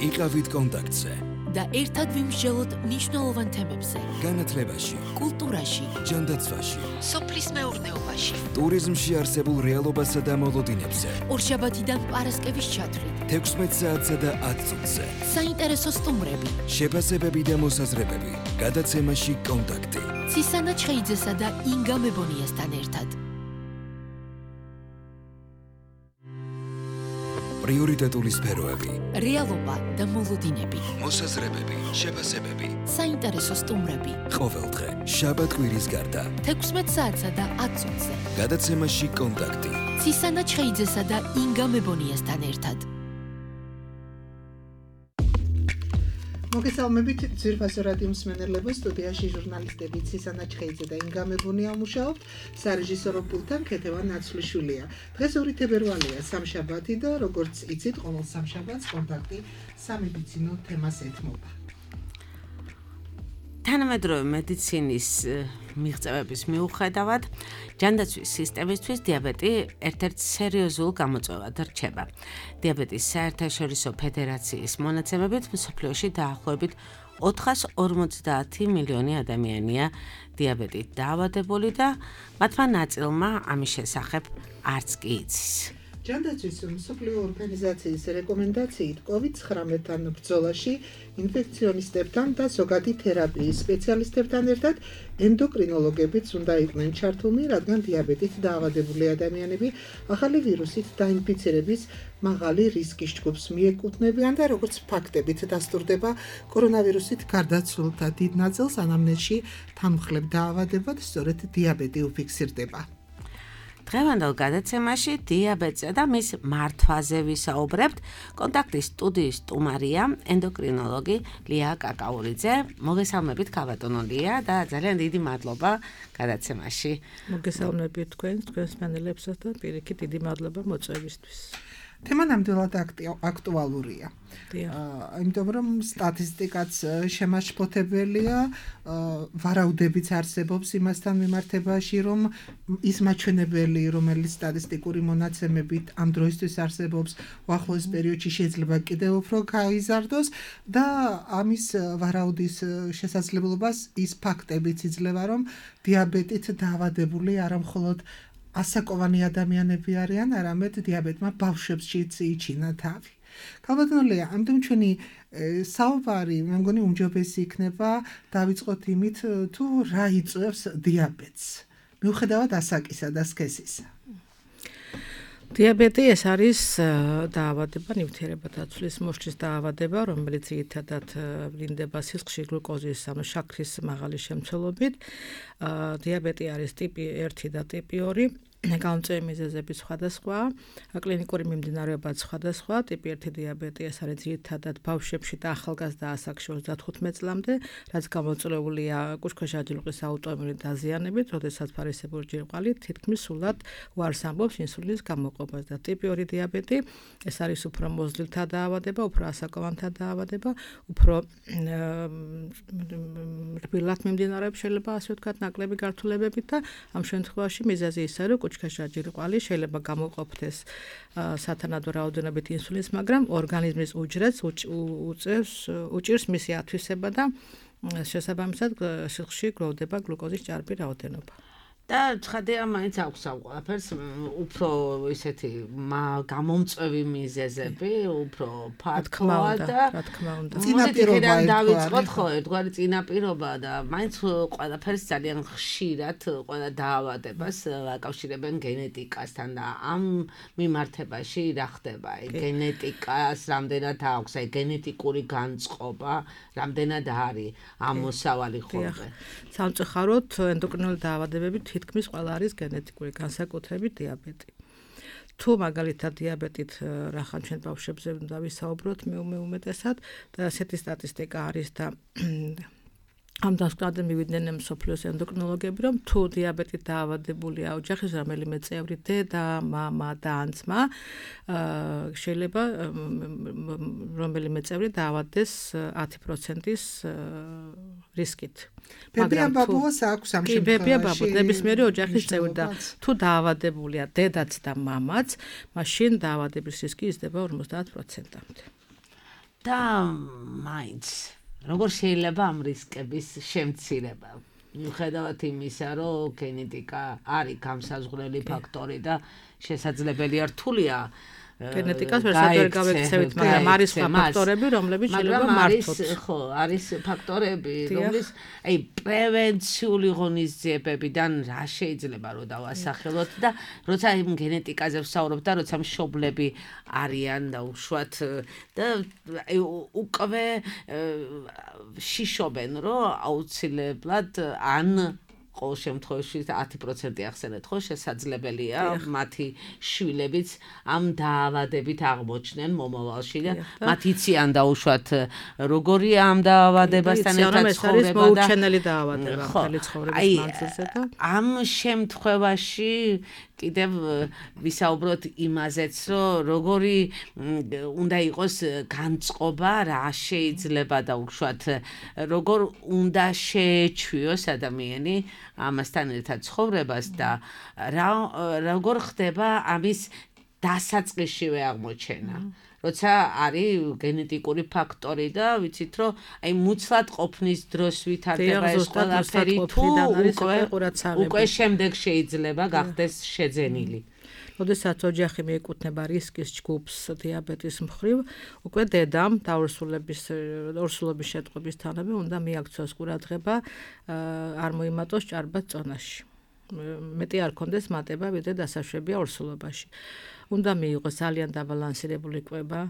იყავით კონტაქტზე და ერთად ვიმსჯელოთ მნიშვნელოვან თემებზე. განათლებაში, კულტურაში, ჯანდაცვაში, სოფლის მეურნეობაში, ტურიზმში არსებულ რეალობასა და მოლოდინებზე. ორშაბათიდან პარასკევის ჩათვლით, 16 საათსა და 10 წუთზე. საინტერესო სტუმრები, შეფასებები და მოსაზრებები. გადაცემაში კონტაქტი. ცისანა ჩხეიძესა და ინგა მებონიასთან ერთად. პრიორიტეტული სფეროები. რეალობა და მოლოდინები. მოსაზრებები, შეფასებები. საინტერესო სტუმრები. ყოველდღე, შაბათ-კვირის გარდა. 16 საათსა და 10 წუთზე. გადაცემაში კონტაქტი. ცისანა ჩხეიძესა და ინგა მებონიასთან ერთად. მოგესალმებით ძვირფასო რადიო მსმენელებო, სტუდიაში ჟურნალისტები ცისანა ჩხეიძე და ინგა მებონია მუშაობთ, სარეჟისორო პულტთან ქეთევან ნაცვლიშვილია. დღეს 2 თებერვალია, სამშაბათი და როგორც იცით, ყოველ სამშაბათს კონტაქტი სამედიცინო თემას ეთმობა. თანამედროვე მედიცინის მიღწევების მიუხედავად, ჯანდაცვის სისტემისთვის დიაბეტი ერთ-ერთ სერიოზულ გამოწვევად რჩება. დიაბეტის საერთაშორისო ფედერაციის მონაცემებით მსოფლიოში დაახლოებით 450 მილიონი ადამიანია დიაბეტით დაავადებული და მათმა ნაწილმა ამის შესახებ არც კი იცის. ჯანდაცვის მსოფლიო ორგანიზაციის რეკომენდაციით COVID-19-თან ბრძოლაში ინფექციონისტებთან და ზოგადი თერაპიის სპეციალისტებთან ერთად ენდოკრინოლოგებიც უნდა იყვნენ ჩართულნი, რადგან დიაბეტით დაავადებული ადამიანები ახალი ვირუსით დაინფიცირების მაღალი რისკის ჯგუფს მიეკუთვნებიან და როგორც ფაქტებით დასტურდება კორონავირუსით გარდაცვლილთა დიდ ნაწილს ანამნეზში თანმხლებ დაავადებად სწორედ დიაბეტი უფიქსირდება. დღევანდელ გადაცემაში დიაბეტსა და მის მართვაზე ვისაუბრებთ. კონტაქტის სტუდიის სტუმარია ენდოკრინოლოგი ლია კაკაურიძე. მოგესალმებით ქალბატონო ლია და ძალიან დიდი მადლობა გადაცემაში. მოგესალმებით თქვენს მსმენელებსაც და პირიქით დიდი მადლობა მოწვევისთვის. თემა ნამდვილად აქტუალურია. იმიტომ რომ სტატისტიკაც შემაშფოთებელია, ვარაუდებიც არსებობს იმასთან მიმართებაში, რომ ის მაჩვენებელი, რომელიც სტატისტიკური მონაცემებით ამ დროისთვის არსებობს, უახლოეს პერიოდში შეიძლება კიდევ უფრო გაიზარდოს და ამის ვარაუდის შესაძლებლობას ის ფაქტებიც იძლევა, რომ დიაბეტით დაავადებული არა მხოლოდ ასაკოვანი ადამიანები არიან, არამედ დიაბეტმა ბავშვებშიც იჩინა თავი. ქალბატონო ლია, ამდენ ჩვენი საუბარი, მე მგონი უმჯობესი იქნება დავიწყოთ იმით, თუ რა იწვევს დიაბეტს, მიუხედავად ასაკისა და სქესისა. დიაბეტი ეს არის დაავადება, ნივთიერებათა ცვლის მოსჭრის დაავადება, რომელიც ძირითადად ვლინდება სისხლში გლუკოზის ანუ შაქრის მაღალი შემცველობით. დიაბეტი არის ტიპი 1 და ტიპი 2. გამომწვევი მიზეზები სხვადასხვა, კლინიკური მიმდინარეობაც სხვადასხვა. ტიპი 1 დიაბეტი ეს არის ძირითადად ბავშვებში და ახალგაზრდა ასაკში 35 წლამდე, რაც გამოწვეულია კუჭქვეშა ჯირკვლის აუტოიმუნური დაზიანებით, როდესაც ფარისებური ჯირკვალი თითქმის სულად უარს ამბობს ინსულინის გამოყოფას. და ტიპი 2 დიაბეტი ეს არის უფრო მოზლილთა დაავადება, უფრო ასაკოვანთა დაავადება, უფრო რბილად მიმდინარეობს შეიძლება ასე ვთქვათ, ნაკლები გართულებებით და ამ შემთხვევაში მიზეზი ისაა, რომ კუჭქვეშა ჯირკვალი შეიძლება გამოყოფდეს სათანადო რაოდენობით ინსულინს, მაგრამ ორგანიზმის უჯრედს უჭირს მისი ათვისება და შესაბამისად სისხლში გროვდება გლუკოზის ჭარბი რაოდენობა. და ცხადია მაინც აქვს ამ ყველაფერს უფრო ისეთი გამომწვევი მიზეზები, უფრო ფართოა და რა თქმა უნდა. წინაპირობა დავიწყოთ ხო ერთგვარი წინაპირობა და მაინც ყველაფერს ძალიან ხშირად ყველა დაავადებას აკავშირებენ გენეტიკასთან და ამ მიმართებაში რა ხდება? გენეტიკას რამდენად აქვს, გენეტიკური განწყობა რამდენად არის ამოსავალი ხოლმე? სამწუხაროდ ენდოკრინული დაავადებები თითქმის ყველა არის გენეტიკური განსაკუთრებით დიაბეტი. თუ მაგალითად დიაბეტით რახან ჩვენ ბავშვებზე უნდა ვისაუბროთ უმეტესად და ასეთი სტატისტიკა არის და ამ დასკვნამდე მივიდნენ მსოფლიოს ენდოკრინოლოგები, რომ თუ დიაბეტით დაავადებულია ოჯახის რომელიმე წევრი, დედა, მამა და ან ძმა, შეიძლება რომელიმე წევრი დაავადდეს 10%-ის რისკით. ბებია ბაბუას აქვს ამ შემთხვევაში. ბებია ბაბუას ნებისმიერი ოჯახის წევრი და თუ დაავადებულია დედაც და მამაც, მაშინ დაავადების რისკი იზრდება 50%-მდე. და მაინც როგორ შეიძლება ამ რისკების შემცირება? მიუხედავად იმისა, რომ გენეტიკა არის გამსაზღვრელი ფაქტორი და შესაძლებელია რთულია გენეტიკას ვერ გავექცევით, მაგრამ არის ფაქტორები, რომლებიც შეიძლება მართოთ. ხო, არის ფაქტორები, რომლის პრევენციული ღონისძიებებიდან რა შეიძლება რომ დავასახელოთ და როცა იმ გენეტიკაზე ვსაუბრობ და როცა მშობლები არიან და უშუალოდ და უკვე შიშობენ, რომ აუცილებლად ან ყოველ შემთხვევაში 10% ახსენეთ, ხო, შესაძლებელია მათი შვილებიც ამ დაავადებით აღმოჩნდნენ მომავალში და მათ იციან დაუშვათ როგორია ამ დაავადებასთან ერთად ცხოვრება და მოუჩენელი დაავადება მთელი ცხოვრების მანძილზე და ამ შემთხვევაში კიდევ ვისაუბროთ იმაზეც, რომ როგორი უნდა იყოს განწყობა, რა შეიძლება და უშუალოდ როგორ უნდა შეეჩვიოს ადამიანი ამასთან ერთად ცხოვრებას და როგორ ხდება ამის დასაწყისშივე აღმოჩენა. როცა არის გენეტიკური ფაქტორი და ვიცით რომ აი მუცლად ყოფნის დროს ვითარდება ეს ყველაფერი თუ უკვე შემდეგ შეიძლება გახდეს შეძენილი. როდესაც ოჯახი მიეკუთვნება რისკის ჯგუფს დიაბეტის მხრივ, უკვე დედამ ორსულობის შეტყობისთანავე უნდა მიაქცოს ყურადღება არ მოიმატოს ჭარბად წონაში. მეტი არ კონდეს მატება, ვიდრე დასაშვებია ორსულობაში. უნდა მიიღოს ძალიან დაბალანსირებული კვება,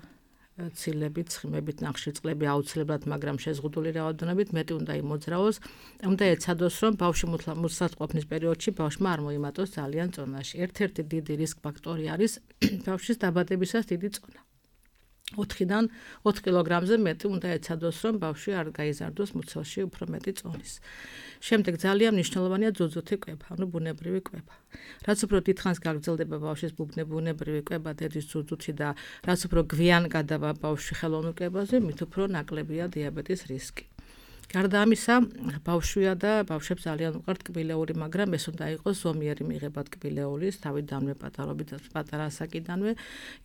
ცილებით, ცხიმებით, ნახშირწყლები აუცილებლად, მაგრამ შეზღუდული რაოდენობით, მეტი უნდა იმოძრაოს. უნდა ეცადოს, რომ ბავშვი მუცლად ყოფნის პერიოდში ბავშვმა არ მოიმატოს ძალიან წონაში. ერთ-ერთი დიდი რისკ ფაქტორი არის ბავშვის დაბადებისას დიდი წონა. 4-დან 4 კილოგრამზე მეტი უნდა ეცადოს, რომ ბავშვი არ გაიზარდოს მუცელში უფრო მეტი წონის. შემდეგ ძალიან მნიშვნელოვანია ძუძუთი კვება, ანუ ბუნებრივი კვება. რაც უფრო დიდხანს გაგრძელდება ბავშვის ბუნებრივი კვება დედის ძუძუთში და რაც უფრო გვიან გადავა ბავშვი ხელოვნურ კვებაზე, მით უფრო ნაკლებია დიაბეტის რისკი. გარდა ამისა, ბავშვია და ბავშვებს ძალიან უყვართ კბილეული, მაგრამ ეს უნდა იყოს ზომიერი მიღება კბილეულის, თავიდანვე პატარობით, პატარა ასაკიდანვე,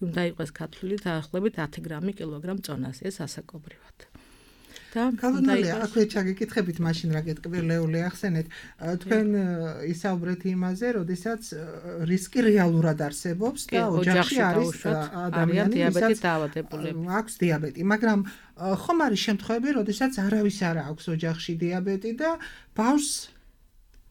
უნდა იყოს ქათვლილი დაახლოებით 10 გრამი კილოგრამ წონაზე, ეს ასაკობრივად. კალონალია, აქვე ჩაგეკითხებით მაშინ რა კბილეული ახსენეთ. თქვენ ისაუბრეთ იმაზე, როდესაც რისკი რეალურად არსებობს და ოჯახში არის ადამიანი, დიაბეტით დაავადებული. აქვს დიაბეტი, მაგრამ ხომ არის შემთხვევები, როდესაც არავის არ აქვს ოჯახში დიაბეტი და ბავშვს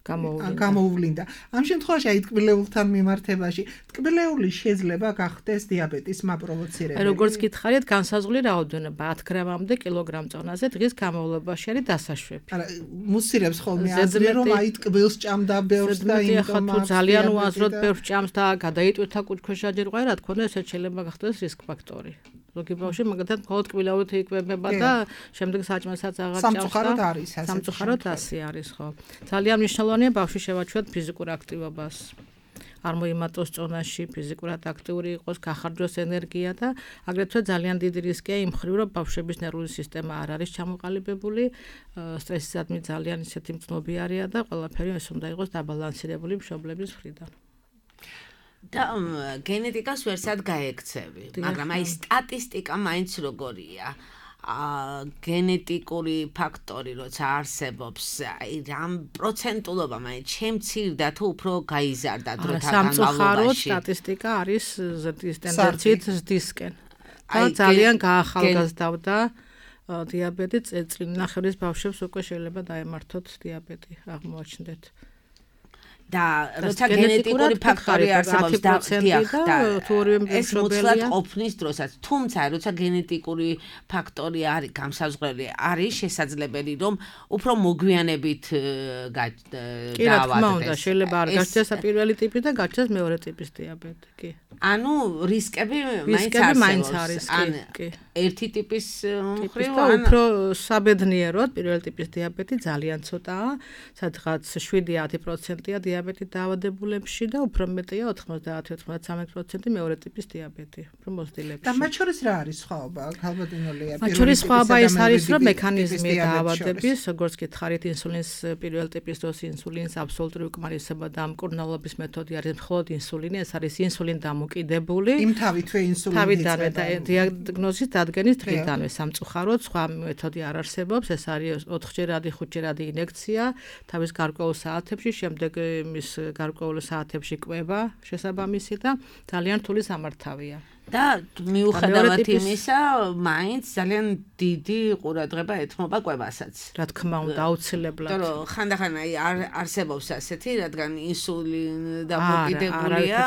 გამოუვლინდა. ამ შემთხვევაში აი ტკბილეულთან მიმართებაში ტკბილეული შეიძლება გახდეს დიაბეტის მაპროვოცირებელი. როგორც გითხარით, განსაზღვრული რაოდენობა 10 გრამამდე კილოგრამ წონაზე დღის განმავლობაში არის დასაშვები. არა, მუსირებს ხოლმე აზრი, რომ აი ტკბილს ჭამდა ბევრს და იმიტომ თუ ძალიან უაზროდ ბევრს ჭამს და გადაიტვირთა კუჭქვეშა ჯერ ყვა, რა თქმა უნდა, ესეც შეიძლება გახდეს რისკ ფაქტორი. ზოგი ბავშვი მაგათაც მხოლოდ კბილეულით იკვებება და შემდეგ საჭმელსაც აღარ ჭამს. სამწუხაროდ არის ასე. სამწუხაროდ ასე არის, ხო. ძალიან მნიშვნელოვანია ბავშვი შევაჩვევთ ფიზიკურ აქტივობას. არ მოიმატოს წონაში, ფიზიკურად აქტიური იყოს, გახარჯოს ენერგია და აგრეთვე ძალიან დიდი რისკია იმ მხრივ, რომ ბავშვების ნერვული სისტემა არ არის ჩამოყალიბებული, სტრესისადმი ძალიან ისეთი მწნობიარეა და ყველაფერი ეს უნდა იყოს დაბალანსირებული მშობლების მხრიდან. და გენეტიკას ვერსად გაექცევი, მაგრამ აი სტატისტიკა მაინც როგორია. გენეტიკური ფაქტორი როცა არსებობს, აი რამ პროცენტულობა მაინც შემცირდა თუ უფრო გაიზარდა დროთა განმავლობაში. სამწუხაროდ სტატისტიკა არის ზრდის ტენდენციით ზრდისკენ. და ძალიან გაახალგაზრდავდა დიაბეტი წელწლინახევრის ბავშვებს უკვე შეიძლება დაემართოთ დიაბეტი, აღმოაჩნდეთ. და როცა გენეტიკური ფაქტორი არსებობს და ეს მუცლად ყოფნის დროსაც, თუმცა როცა გენეტიკური ფაქტორი არის გამსაზღვრელი, არის შესაძლებელი რომ უფრო მოგვიანებით დაავადდეს. კი, რა თქმა უნდა, შეიძლება არ გაჩნდეს პირველი ტიპი და გაჩნდეს მეორე ტიპის დიაბეტი, კი. ანუ რისკები მაინც არის, კი. ერთი ტიპის მხრივ უფრო საბედნიეროდ პირველი ტიპის დიაბეტი ძალიან ცოტაა, სადღაც 7-10%-ია დიაბეტით დაავადებულებში და უფრო მეტია 90-93% მეორე ტიპის დიაბეტი, უფრო მოზრდილებში. და მათ შორის რა არის სხვაობა? ქალბატონოლია. მათ შორის სხვაობა ეს არის, რომ მექანიზმი დაავადების, როგორც გითხარით, ინსულინის პირველ ტიპის დროს ინსულინს აბსოლუტური უკმარისობა და მკურნალობის მეთოდი არის მხოლოდ ინსულინი, ეს არის ინსულინ დამოკიდებული. იმ თავითვე ინსულინი თავიდანვე დიაგნოზის დადგენის დღიდანვე სამწუხაროდ სხვა მეთოდი არ არსებობს, ეს არის 4-ჯერადი 5-ჯერადი ინექცია თავის გარკვეულ საათებში, შემდეგ მის გარკვეულ საათებში კვება შესაბამისი და ძალიან რთული სამართავია. და მიუხედავად იმისა, მაინც ძალიან დიდი ყურადღება ეთმობა კვებასაც. რა თქმა უნდა, აუცილებლად. იმიტომ რომ ხანდახან არსებობს ასეთი, რადგან ინსულინი დამოკიდებულია,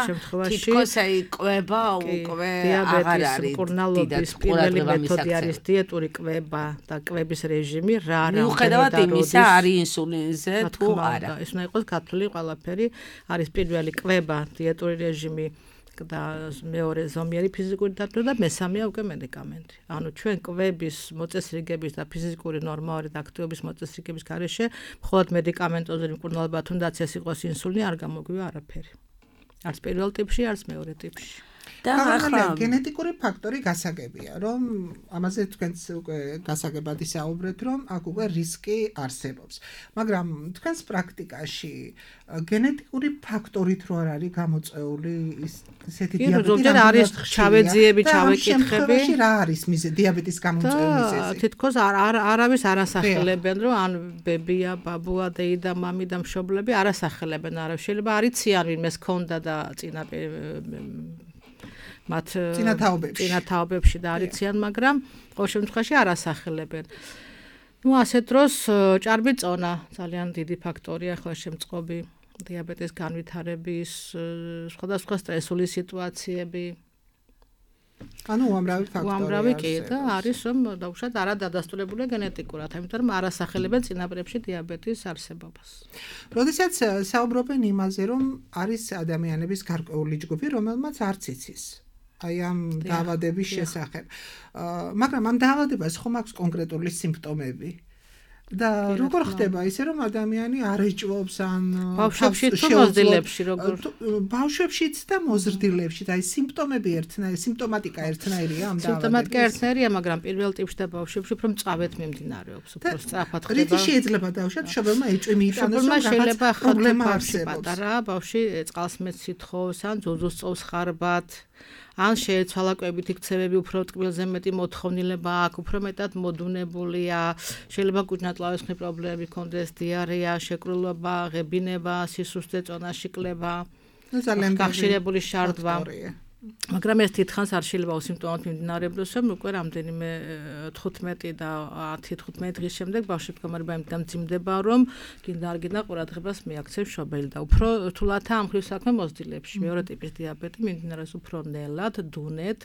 თითქოს კვება უკვე აღარ არის. მკურნალობის პირველი მეთოდი არის დიეტური კვება და კვების რეჟიმი, რა მიუხედავად იმისა, არის ინსულინზე თუ არა. ეს უნდა იყოს გათვლილი ყველაფერი, არის პირველი კვება, დიეტური რეჟიმი და მეორე ზომიერი ფიზიკური დატვირთვა და მესამეა უკვე მედიკამენტი. ანუ ჩვენ კვების მოწესრიგების და ფიზიკური ნორმალური აქტივობის მოწესრიგების გარეშე მხოლოდ მედიკამენტოზე მკურნალობა თუნდაც ეს იყოს ინსულინი არ გამოგვივა არაფერი. არც პირველ ტიპში, არც მეორე ტიპში. და ახლა გენეტიკური ფაქტორი გასაგებია, რომ ამაზე თქვენც უკვე გასაგებად ისაუბრეთ, რომ აქ უკვე რისკი არსებობს. მაგრამ თქვენს პრაქტიკაში გენეტიკური ფაქტორით რო არ არის გამოწეული ისეთი დიაბეტი, ზოგჯერ არის ჩავეძიები, ჩავეკითხები. რა არის დიაბეტის გამოწვევის მიზეზი? თითქოს არავის არ ასახელებენ, რომ ან ბებია, ბაბუა, დეიდა, მამი და მშობლები არ ასახელებენ, არა შეიძლება არიციან ვინმეს ქონდა და მათ წინათაობებში და არიციან, მაგრამ ყოველ შემთხვევაში არ ასახელებენ. ასეთ დროს ჭარბი წონა ძალიან დიდი ფაქტორია ახლა შემწყობი დიაბეტის განვითარების სხვადასხვა სტრესული სიტუაციები. ანუ უამრავი ფაქტორი უამრავი კი და არის რომ დაუშვათ არა დადასტურებული გენეტიკურად, ამიტომ რომ არ ასახელებენ წინაპრებში დიაბეტის არსებობას. როდესაც საუბრობენ იმაზე, რომ არის ადამიანების გარკვეული ჯგუფი, რომელმაც არც იცის აი ამ დაავადების შესახებ. მაგრამ ამ დაავადებას ხომ აქვს კონკრეტული სიმპტომები? და როგორ ხდება ისე რომ ადამიანი არ ეჭვობს ან ბავშვებში თუ მოზრდილებში როგორ ბავშვებშიც და მოზრდილებში და აი სიმპტომატიკა ერთნაირია ამ დაავადების სიმპტომატიკა ერთნაირია მაგრამ პირველ ტიპში და ბავშვებში უფრო მწავედ მიმდინარეობს უფრო სწრაფად ხდება რითი შეიძლება დავუშვათ მშობელმა ეჭვი მიიტანოს რომ შეიძლება პრობლემა არსებობს პატარა ბავშვი წყალს მეც სითხოვს ან ძუძუს წოვს ხარბად ან შეეცვალა კვებითი ქცევები უფრო ტკბილზე მეტი მოთხოვნილება აქვს, უფრო მეტად მოდუნებულია, შეიძლება კუჭნატლავესხმის პრობლემები ჰქონდეს, დიარეა, შეკრულება, ღებინება, სისუსტე, წონაში კლება, ძალიან გახშირებული შარდვა. მაგრამ ეს თითქოს არ შეიძლება უსიმპტომოდ მიმდინარეbles, რომ უკვე რამდენიმე 15 და 10-15 დღის შემდეგ ბავშვი მდგომარეობა იმდან მძიმდება, რომ გინდა არ გინდა ყურადღებას მიაქცევს მშობელი და უფრო რთულადაა ამ ხრივ საქმე მოზრდილებში. მეორე ტიპის დიაბეტი მიმდინარეობს უფრო ნელად, დუნეთ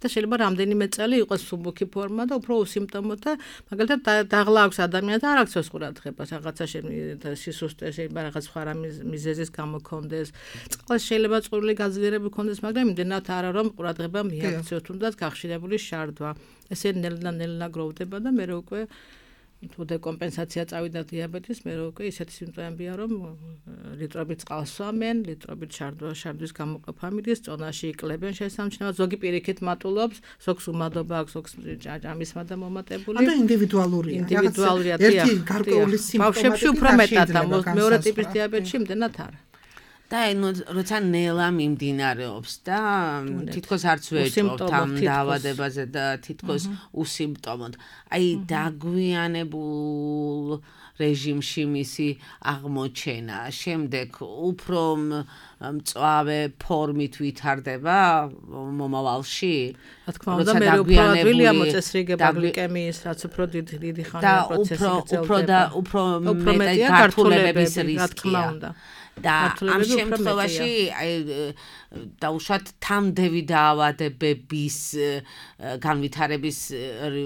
და შეიძლება რამდენიმე წელი იყოს სუბუქი ფორმა და უფრო უსიმპტომო და მაგალითად დაღლა აქვს ადამიანს და არ აქცევს ყურადღებას რაღაცა სისუსტე შეიძლება რაღაც სხვა მიზეზის გამო ქონდეს წყალს შეიძლება წვრილი გაძლიერება ქონდეს მაგრამ იმდენად არა რომ ყურადღება მიაქცევს თუნდაც გახშირებული შარდვა ესე ნელა გროვდება და მე უკვე თუ დეკომპენსაცია წავიდა დიაბეტის მე უკვე ისეთი სიმპტომებია რომ ლიტრობით წყალს სვამენ ლიტრობით შარდვის გამოყოფა მიდის წონაში იკლებენ შესამჩნევად ზოგი პირიქით მატულობს ზოგს უმადობა აქვს ზოგს ჭამისმა და მომატებული ანუ ინდივიდუალურია ერთი გარკვეული სიმპტომები ბავშვებში უფრო მეტად და მეორე ტიპის დიაბეტში იმდენად არა და როცა ნელა მიმდინარეობს და თითქოს არც ვეჭვობთ ამ დაავადებაზე და თითქოს უსიმპტომოდ. აი დაგვიანებულ რეჟიმში მისი აღმოჩენა, შემდეგ უფრო მწვავე ფორმით ვითარდება მომავალში. რა თქმა უნდა, მე უფრო ადვილია მოწესრიგება გლიკემიის, რაც უფრო დიდი ხანია პროცესი გრძელდება. და უფრო მეტი გართულებების რისკია. რა თქმა უნდა. და ამ შემთხვევაში დაუშვათ თამდევი დაავადებების განვითარების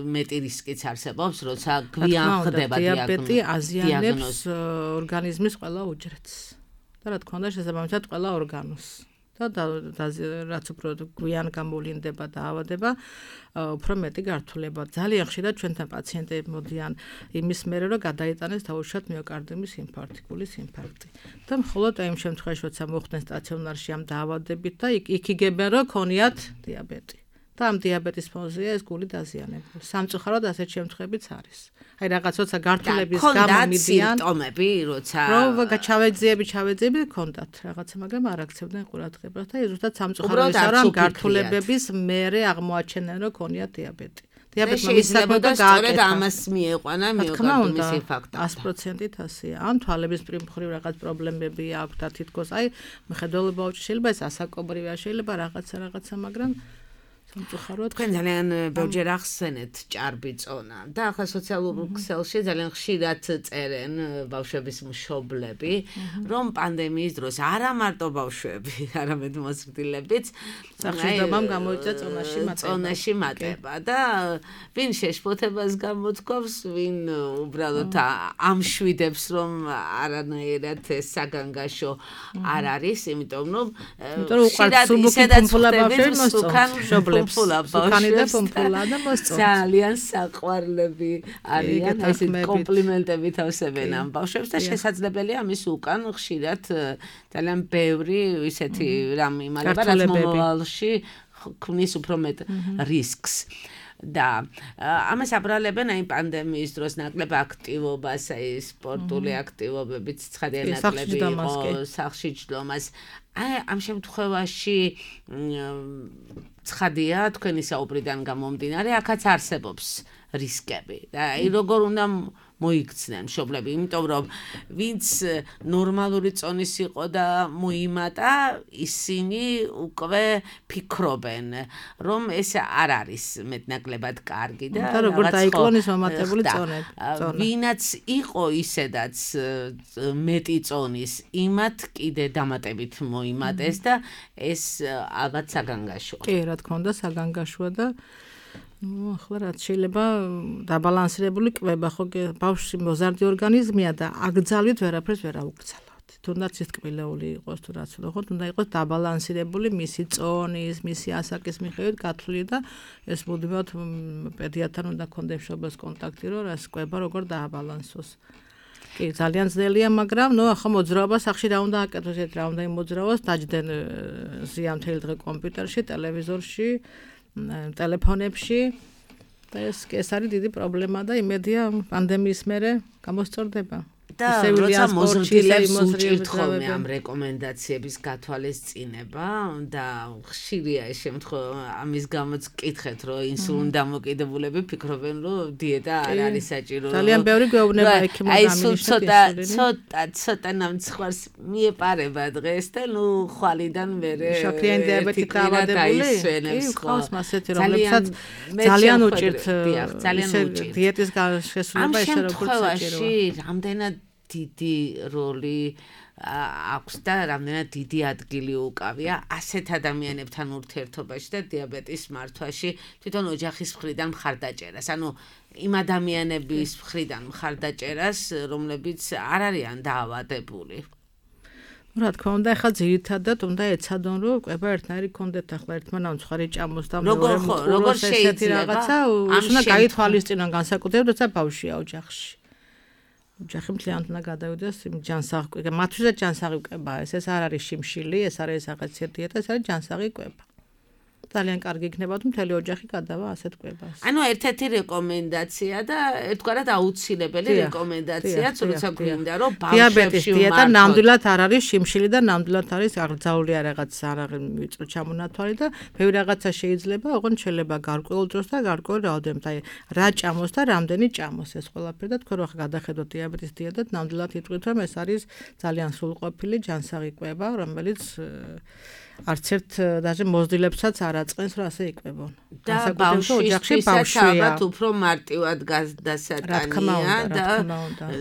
მეტი რისკიც არსებობს, როცა გვიან ხდება დიაბეტი აზიანებს ორგანიზმის ყველა უჯრედს. და რა თქმა უნდა, შესაბამისად ყველა ორგანოს. და რაც უფრო გვიან გამოვლინდება დაავადება, უფრო მეტი გართულება. ძალიან ხშირად ჩვენთან პაციენტები მოდიან იმის მერე, რომ გადაიტანეს დაუშვათ მიოკარდიუმის ინფარქტი, გულის ინფარქტი. და მხოლოდ იმ შემთხვევაში, როცა მოხვდნენ სტაციონარში ამ დაავადებით და იქ იგებენ, რომ ქონიათ დიაბეტი. და ამ დიაბეტის ფონზეა ეს გული დაზიანებული. სამწუხაროდ ასეთ შემთხვევებიც არის. აი რაღაც როცა გართულების გამო მიდიან სიმპტომები, როცა ჩავეძიები ქონდათ რაღაცა, მაგრამ არ აქცევდნენ ყურადღებას და ზუსტად სამწუხაროდ ის არა, გართულებების მერე აღმოაჩენენ, რომ ქონიათ დიაბეტი. დიაბეტმა მისაკმედა სწორედ ამას მieყვანა მიოკარდიუმის ინფარქტი. 100%-ით ასეა. ან თვალების მხრივ რაღაც პრობლემები აქვს და თითქოს აი მხედველობა უჭირს, შეიძლება ეს ასაკობრივია, შეიძლება რაღაცა, მაგრამ სამწუხაროდ თქვენ ძალიან ბევრჯერ ახსენეთ ჭარბი წონა და ახლა სოციალურ ქსელში ძალიან ხშირად წერენ ბავშვების მშობლები, რომ პანდემიის დროს არა მარტო ბავშვები, არამედ მოზრდილებიც სახშირდებამ გამოიწვია წონაში მატება და ვინ შეშფოთებას გამოთქვამს, ვინ უბრალოდ ამშვიდებს, რომ არანაირად ეს საგანგაშო არ არის, იმიტომ რომ ხშირად ისედაც ხდება ძალიან საყვარლები არიან, ესეთ კომპლიმენტები თავსებენ ამ ბავშვებს და შესაძლებელია ამის უკან ხშირად ძალიან ბევრი ისეთი რამ იმალება, რაც მომავალში ქმნის უფრო მეტ რისკს. და ამას აბრალებენ აი პანდემიის დროს ნაკლებ აქტივობას, აი სპორტული აქტივობებიც ცხადია ნაკლები იყო, სახლში ჯდომას. აი ამ შემთხვევაში ცხადია თქვენი საუბრიდან გამომდინარე, აქაც არსებობს რისკები. და აი როგორ უნდა მოიქცნენ მშობლები, იმიტომ რომ ვინც ნორმალური წონის იყო და მოიმატა, ისინი უკვე ფიქრობენ, რომ ეს არ არის მეტნაკლებად კარგი და როგორ დაიკლონეს მომატებული წონები. ვინაც იყო ისედაც მეტი წონის, იმათ კიდე დამატებით მოიმატეს და ეს ალბათ საგანგაშოა. კი, რა თქმა უნდა, საგანგაშოა და ახლა რაც შეიძლება დაბალანსირებული კვება, ხო ბავშვი მოზარდი ორგანიზმია და აკრძალვით ვერაფერს ვერ აუკრძალავთ. თუნდაც ის ტკბილეული იყოს თუ რაც უნდა, ხო, უნდა იყოს დაბალანსირებული მისი წონის, მისი ასაკის მიხედვით გათვლილი და ეს მუდმივად პედიატრთან უნდა ქონდეს მშობელს კონტაქტი, რომ რას კვება როგორ დააბალანსოს. კი, ძალიან ძნელია, მაგრამ ახლა მოძრაობა სახში რა უნდა აკეთოს, რა უნდა იმოძრაოს, დაჯდნენ ზიანთელი დღე კომპიუტერში, ტელევიზორში, ტელეფონებში და ეს არის დიდი პრობლემა და იმედია პანდემიის მერე გამოსწორდება. და როცა მოზრდილებს უჭირთ ხოლმე ამ რეკომენდაციების გათვალისწინება და ხშირია ეს შემთხვევა, ამის გამოც კითხეთ, რომ ინსულინ დამოკიდებულები ფიქრობენ, რომ დიეტა არ არის საჭირო. ძალიან ბევრი გვეუბნება ექიმო გამინიშნებს. ცოტა ნამცხვარს მიეპარება დღეს და ხვალიდან მერე შაქრიანი დიაბეტი დაავადებული. ხავს მასეთი, რომლებსაც ძალიან უჭირთ დიეტის შესრულება ესე როგორც საჭიროა. რამდენად დიდი როლი აქვს და რამდენად დიდი ადგილი უკავია ასეთ ადამიანებთან ურთიერთობაში და დიაბეტის მართვაში თვითონ ოჯახის მხრიდან მხარდაჭერას. ანუ იმ ადამიანების მხრიდან მხარდაჭერას, რომლებიც არ არიან დაავადებული. რა თქმა უნდა, ახლა ძირითადად უნდა ეცადონ, რომ კვება ერთნაირი კონდეთ ახლა ერთმანავ მცხარი ჭამოს და როგორ შეიძლება რაღაცა უნდა გაითვალისწინონ განსაკუთრებით, როცა ბავშვია ოჯახში. ოჯახი მთლიანად უნდა გადავიდეს იმ ჯანსაღი, მათთვისაც ჯანსაღი კვება, ეს არ არის შიმშილი, ეს არის რაღაცა დიეტა, ეს არის ჯანსაღი კვება. ძალიან კარგი იქნება თუ მთელი ოჯახი გადავა ასეთ კვებას. ანუ ერთ-ერთი რეკომენდაცია და ერთგვარად აუცილებელი რეკომენდაციაც, როცა გვინდა რომ დიაბეტის დიეტა ნამდვილად არ არის შიმშილი და ნამდვილად არის აღძაულია რაღაც ვიწრო ჩამონათვალი და ბევრი რაღაცა შეიძლება, ოღონდ შეიძლება გარკვეულ დროს და გარკვეულ რაოდენობით, აი რა ჭამოს და რამდენი ჭამოს ეს ყველაფერი და თქვენ ახლა გადახედოთ დიაბეტის დიეტად, ნამდვილად იტყვით რომ ეს არის ძალიან სრულყოფილი ჯანსაღი კვება, რომელიც არც ერთ даже მოზრდილებსაც არ აწყენს, რომ ასე იკვებონ. და ბავშვისთვის ალბათ უფრო მარტივად გადასატანია და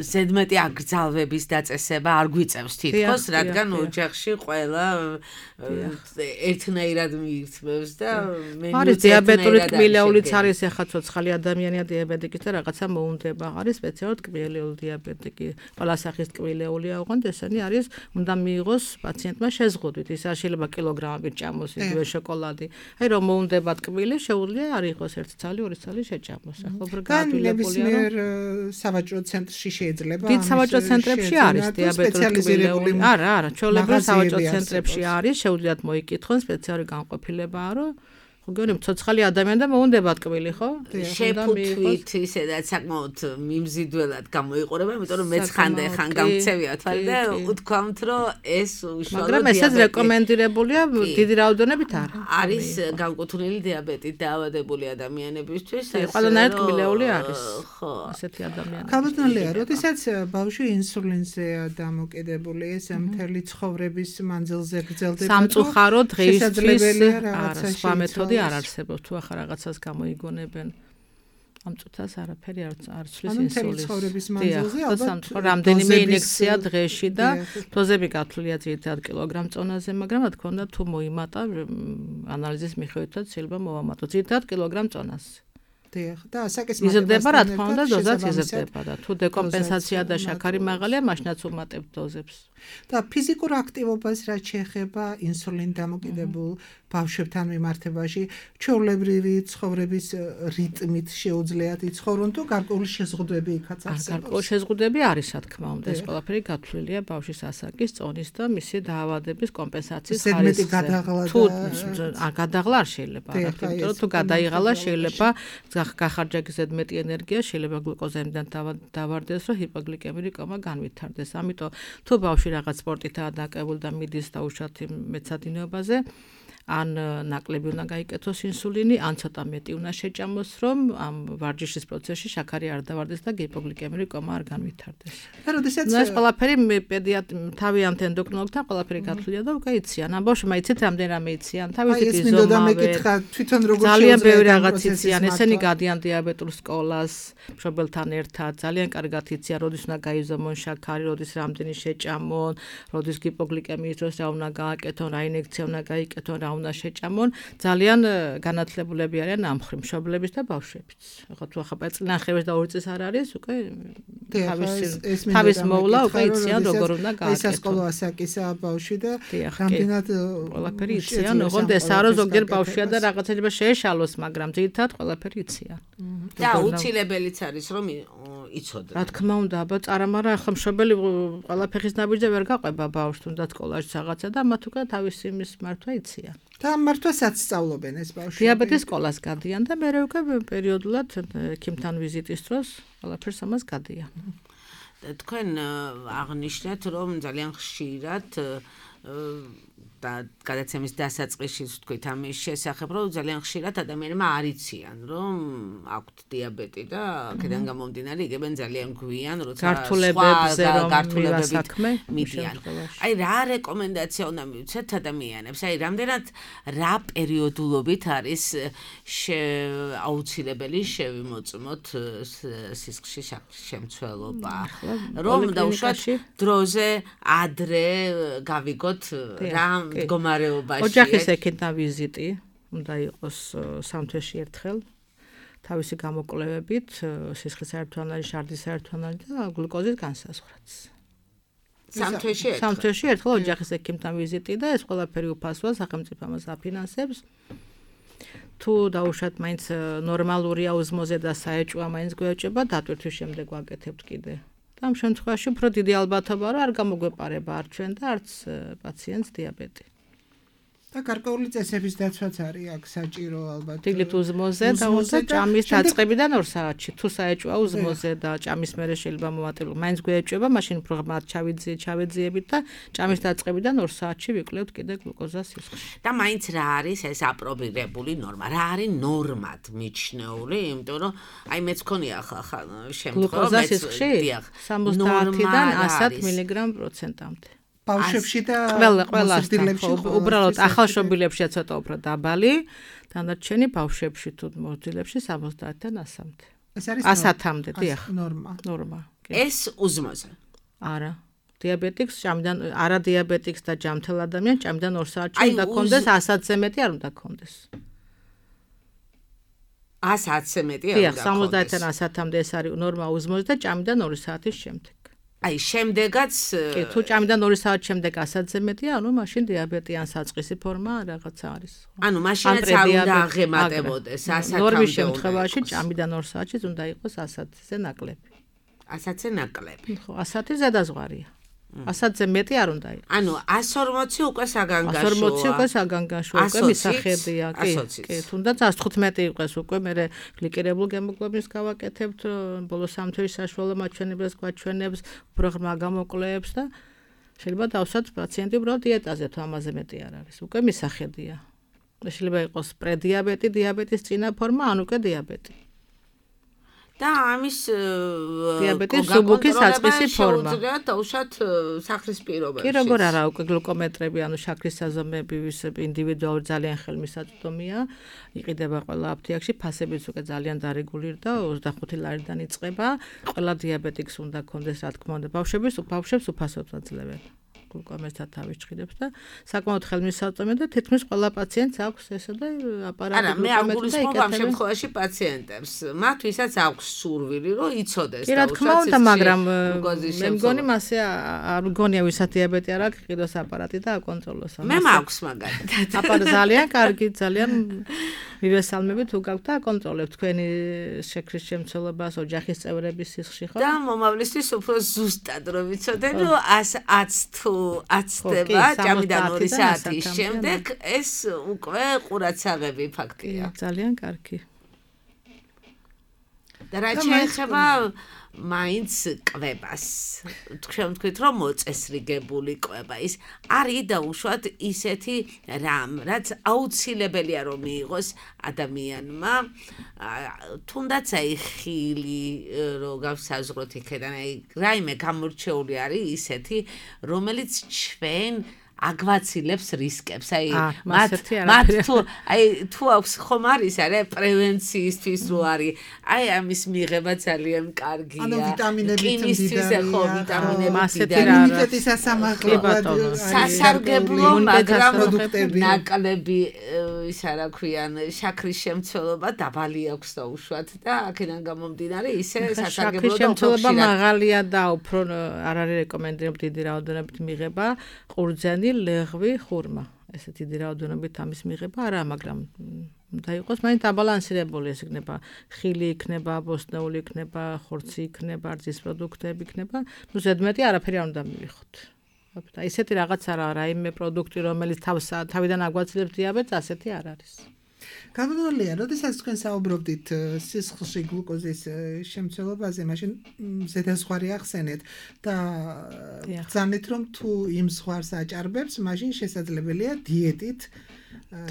ზედმეტი აკრძალვების დაწესება არ გვიწევს თითქოს, რადგან ოჯახში ყველა ერთნაირად მიირთმევს და არის დიაბეტური ტკბილეულიც არის, ახლა ცოცხალი ადამიანია დიაბეტიკი და რაღაცა მოუნდება. არის სპეციალური ტკბილეული დიაბეტიკი, ყველა სახის ტკბილეულია, ოღონდ ესენი არის, უნდა მიიღოს პაციენტმა შეზღუდვით. ის არ შეიძლება კილოგრამებით ჭამოს იგივე შოკოლადი. აი რომ მოუნდება ტკბილი, შეუძლია არ იყოს 1 ცალი, 2 ცალი შეჭამოს. ახლა უფრო გაათვლილებულია, რომ სავაჭრო ცენტრში შეიძლება. დიდ სავაჭრო ცენტრებში არის დიაბეტური ტკბილეული. არა, ჩვეულებრივ სავაჭრო ცენტრებში არის, შეუძლიათ მოიკითხონ, სპეციალური განყოფილებაა, რომ გონი მცოცხალი ადამიანი და მოუნდება ტკბილი, ხო? შეფუთვით ისედაც საკმაოდ მიმზიდველად გამოიყურება, იმიტომ რომ მეც ხანდახან გამქცევია თვალი და უთქვამთ, რომ ეს უშუალოდ მაგრამ ესაც რეკომენდირებულია დიდი რაოდენობით არა. არის განკუთვნილი დიაბეტით დაავადებული ადამიანებისთვის. ყველანაირ ტკბილეული არის. ხო, ასეთი ადამიანები. ქალბატონია, როდესაც ბავშვი ინსულინზეა დამოკიდებული, ეს მთელი ცხოვრების მანძილზე გრძელდება. სამწუხარო დღეისთვის არა სხვა მეთოდი არ არსებობს თუ ახლა რაღაცას გამოიგონებენ ამ წუთას არაფერი არ ცვლის ინსულინს. ალბათ რამდენიმე ინექცია დღეში და დოზები გათვლილია ძირითადად კილოგრამ წონაზე, მაგრამ რა თქმა უნდა თუ მოიმატა ანალიზის მიხედვითაც შეიძლება მოვამატო ძირითადად კილოგრამ წონაზე. და საკისმატება იზრდება რა თქმა უნდა დოზაც იზრდება და თუ დეკომპენსაცია და შაქარი მაღალია მაშინაც უმატებთ დოზებს. და ფიზიკურ აქტივობას რაც შეეხება ინსულინ დამოკიდებულ ბავშვებთან მიმართებაში ჩვეულებრივი ცხოვრების რიტმით შეუძლიათ იცხოვრონ თუ გარკვეული შეზღუდვები იქაც არსებობს? გარკვეული შეზღუდვები არის რა თქმა უნდა, ეს ყველაფერი გათვლილია ბავშვის ასაკის, წონის და მისი დაავადების კომპენსაციის ხარისხზე. თუ გადაღლა არ შეიძლება, იმიტომ რომ თუ გადაიღალა შეიძლება გახარჯა ზედმეტი ენერგია, შეიძლება გლუკოზემდან დავარდეს, რომ ჰიპოგლიკემიური კომა განვითარდეს. ამიტომ თუ ბავშვი რაღაც სპორტითაა დაკავებული და მიდის დაუშვათ მეცადინეობაზე, ან ნაკლები უნდა გაიკეთოს ინსულინი, ან ცოტა მეტი უნდა შეჭამოს, რომ ამ ვარჯიშის პროცესში შაქარი არ დავარდეს და ჰიპოგლიკემიური კომა არ განვითარდეს. და როდესაც ეს ყველაფერი თავიანთ ენდოკრინოლოგთან ყველაფერი გათვლილია და უკვე იციან. ამ ბავშვმა იცით რამდენ რამე იციან, თავისი ზომავე. თვითონ როგორ ძალიან ბევრი რაღაც იციან, ესენი გადიან დიაბეტურ სკოლას, მშობელთან ერთად, ძალიან კარგად იციან, როდის უნდა გაიზომონ შაქარი, როდის რამდენი შეჭამონ, როდის ჰიპოგლიკემიის დროს რა უნდა გააკეთონ, რა ინექცია უნდა გაიკეთონ, რა უნდა შეჭამონ, ძალიან განათლებულები არიან ამ მხრივ მშობლების და ბავშვებიც. ხო თუ ახლა წინახევეს და 2 წელს არ არის, უკვე თავის მოვლა უკვე იციან როგორ უნდა გააკეთონ. სასკოლო ასაკისა ბავშვი და რამდენად ყველაფერი იციან, ოღონდ ესაა რომ ზოგიერთ ბავშვია და რაღაცა შეეშალოს, მაგრამ ძირითადად ყველაფერი იციან. და უცილებელიც არის რომ იცოდე. რა თქმა უნდა, აბა წარამარა ახლა მშობელი ყველაფერის ნაბიჯზე ვერ გაყვება ბავშვს, თუნდაც სკოლაში რაღაცა და მათ უკვე თავისი იმის მართვა იციან. და მართვასაც სწავლობენ ეს ბავშვები. დიაბეტის სკოლას გადიან და მე უკვე პერიოდულად ექიმთან ვიზიტის დროს ყველაფერს ამას გადიან. თქვენ აღნიშნეთ რომ ძალიან ხშირად და გადაცემის დასაწყისში თქვით ამის შესახებ, რომ ძალიან ხშირად ადამიანებმა არ იციან, რომ აქვთ დიაბეტი და აქედან გამომდინარე იგებენ ძალიან გვიან, როცა გართულებებით მიდიან. აი რა რეკომენდაცია უნდა მივცეთ ადამიანებს? აი რამდენად რა პერიოდულობით არის აუცილებელი შევიმოწმოთ სისხლში შემცველობა? რომ დაუშვათ დროზე ადრე გავიგოთ რა მდგომარეობაში. ოჯახის ექიმთან ვიზიტი უნდა იყოს 3 თვეში ერთხელ. თავისი გამოკვლევებით, სისხლის საერთო ანალიზი, შარდის საერთო ანალიზი და გლუკოზის განსაზღვრაც. 3 თვეში ერთხელ. 3 თვეში ერთხელ ოჯახის ექიმთან ვიზიტი და ეს ყველაფერი უფასოა, სახელმწიფო ამას აფინანსებს. თუ დაუშვათ მაინც ნორმალურია ოზმოზე და საეჭვია მაინც გვეჭება, დატვირთვის შემდეგ ვაკეთებთ კიდე. და ამ შემთხვევაში უფრო დიდი ალბათობაა, რომ არ გამოგვეპარება არ ჩვენ და არც პაციენტს დიაბეტი. და გარკვეული წესების დაცვაც არის აქ საჭირო ალბათ. დილით უზმოზე და ჭამის დაწყებიდან 2 საათში. თუ საეჭვია უზმოზე და ჭამის მერე შეიძლება მოვატილო. მაინც გვეჭება, მაშინ უფრო ღრმად ჩავეძიებით და ჭამის დაწყებიდან 2 საათში ვიკვლევთ კიდე გლუკოზას სისხლში. და მაინც რა არის ეს აპრობირებული ნორმა? რა არის ნორმად მიჩნეული? იმიტომ რომ აი მეც მქონია ხა გლუკოზა სისხლში 70-დან 100 მგ/პროცენტამდე. ბავშვებში და ყველასთან უბრალოდ ახალშობილებშია ცოტა უფრო დაბალი, დანარჩენი ბავშვებში თუ მორთილებში 70-დან 100-მდე. ეს არის 100-მდე, დიახ. ნორმა. ეს უზმოზე. არა. დიაბეტიკს ჭამიდან არა დიაბეტიკს და ჯამთელ ადამიანს ჭამიდან 2 საათში უნდა ქონდეს, 100-ზე მეტი არ უნდა ქონდეს. 100-ზე მეტი არ უნდა ქონდეს. დიახ, 70-დან 100-მდე ეს არის ნორმა უზმოზე და ჭამიდან 2 საათის შემდეგ. აი შემდეგაც თუ ჭამიდან 2 საათ შემდეგ 100-ზე მეტია, ანუ მაშინ დიაბეტი ან საწყისი ფორმა რაღაცა არის. ანუ მაშინაც არ უნდა აღემატებოდეს 100-მდე. ნორმის შემთხვევაში ჭამიდან 2 საათში უნდა იყოს 100-ზე ნაკლები. 100-ზე ნაკლები. ხო, 100 ზედაზღვარია. 100-ზე მეტი არ უნდა იყოს. ანუ 140 უკვე საგანგაშოა. 140 უკვე საგანგაშოა, უკვე მისახედია, კი. თუნდაც 115 იყოს უკვე მე გლიკირებულ გემოგლობინს გავაკეთებთ, ბოლო 3 თვის საშუალო მაჩვენებლებს გვაჩვენებს, უფრო ღრმა გამოკვლევებს და შეიძლება დავსვათ პაციენტი უბრალოდ დიეტაზე თუ ამაზე მეტი არ არის. უკვე მისახედია. შეიძლება იყოს პრედიაბეტი, დიაბეტის წინა ფორმა, ან უკვე დიაბეტი. და ამის დიაბეტის სუბუქის საწყისი ფორმა. შეუძლია დაუშვათ სახლის პირობებში. კი, როგორ არა, უკვე გლუკომეტრები, ანუ შაქრის საზომები ინდივიდუალური ძალიან ხელმისაწვდომია. იყიდება ყველა აფთიაქში, ფასებიც უკვე ძალიან დარეგულირდა, 25 ლარიდან იწყება. ყველა დიაბეტიკს უნდა კონდეს, რა თქმა უნდა, ბავშვებს უფასოდ აძლევენ. გლუკომეტრად თავის ჭრიდებს და საკმაოდ ხელმისაწვდომია და თითქმის ყველა პაციენტს აქვს ესა და აპარატი არა, მე არ გულისხმობ ამ შემთხვევაში პაციენტებს. მათ ვისაც აქვს სურვილი, რომ იცოდეს და რა თქმა უნდა, მაგრამ მე მგონი მასე არ მგონია ვისაც დიაბეტი არ აქვს, იყიდოს აპარატი და აკონტროლოს. მე მაქვს მაგალითად. აპარატი ძალიან კარგი, ძალიან მივესალმები თუ გაქვთ და აკონტროლებთ თქვენი შაქრის შემცველობას, ოჯახის წევრების სისხლში, ხო? და მომავლისთვის უფრო ზუსტად რომ ვიცოდე, რომ 100 თუ აცდება ჭამიდან 2 საათის შემდეგ ეს უკვე ყურაცაღები ფაქტია. ძალიან კარგი. და რა შეიძლება მაინც კვებას. თქვენ თქვით რომ მოწესრიგებული კვება ის არის დაუშვათ ისეთი რამ, რაც აუცილებელია რომ მიიღოს ადამიანმა, თუნდაც აი ხილი რო გავსაზღვროთ იქიდან, აი რაიმე გამორჩეული არის ისეთი, რომელიც ჩვენ აგვაცილებს რისკებს. აი მათ თუ აქვს ხომ არის არა პრევენციისთვის რო არის. აი ამის მიღება ძალიან კარგია. ანუ ვიტამინებით მდიდარია. ხო, ვიტამინებით იმუნიტეტის სასამართლოა. სასარგებლო, მაგრამ ნაკლები ისა რა ქვიან, შაქრის შემცველობა დაბალი აქვს დაუშვათ და აქედან გამომდინარე ისე სასარგებლო და შემცველობა მაღალია და უფრო არ არის რეკომენდებული დიდი რაოდენობით მიღება ყურძენი ლეღვი, ხურმა. ესე დიდი რაოდენობით ამის მიღება არა, მაგრამ უნდა იყოს მაინც აბალანსირებული, ეს იქნება ხილი, იქნება ბოსტნეული, იქნება ხორცი, იქნება რძის პროდუქტები, იქნება, ну ზედმეტი არაფერი არ უნდა მივიხოთ. აი ესეთი რაღაც არა, რაიმე პროდუქტი, რომელიც თავიდან აგვაცილებს დიაბეტს, ასეთი არ არის. გამოდულია, როდესაც თქვენ საუბრობდით სისხლში გლუკოზის შემცველობაზე, მაშინ ზედაზღვარი ახსენეთ და ბრძანეთ რომ თუ იმ ზღვარს აჭარბებს, მაშინ შესაძლებელია დიეტით.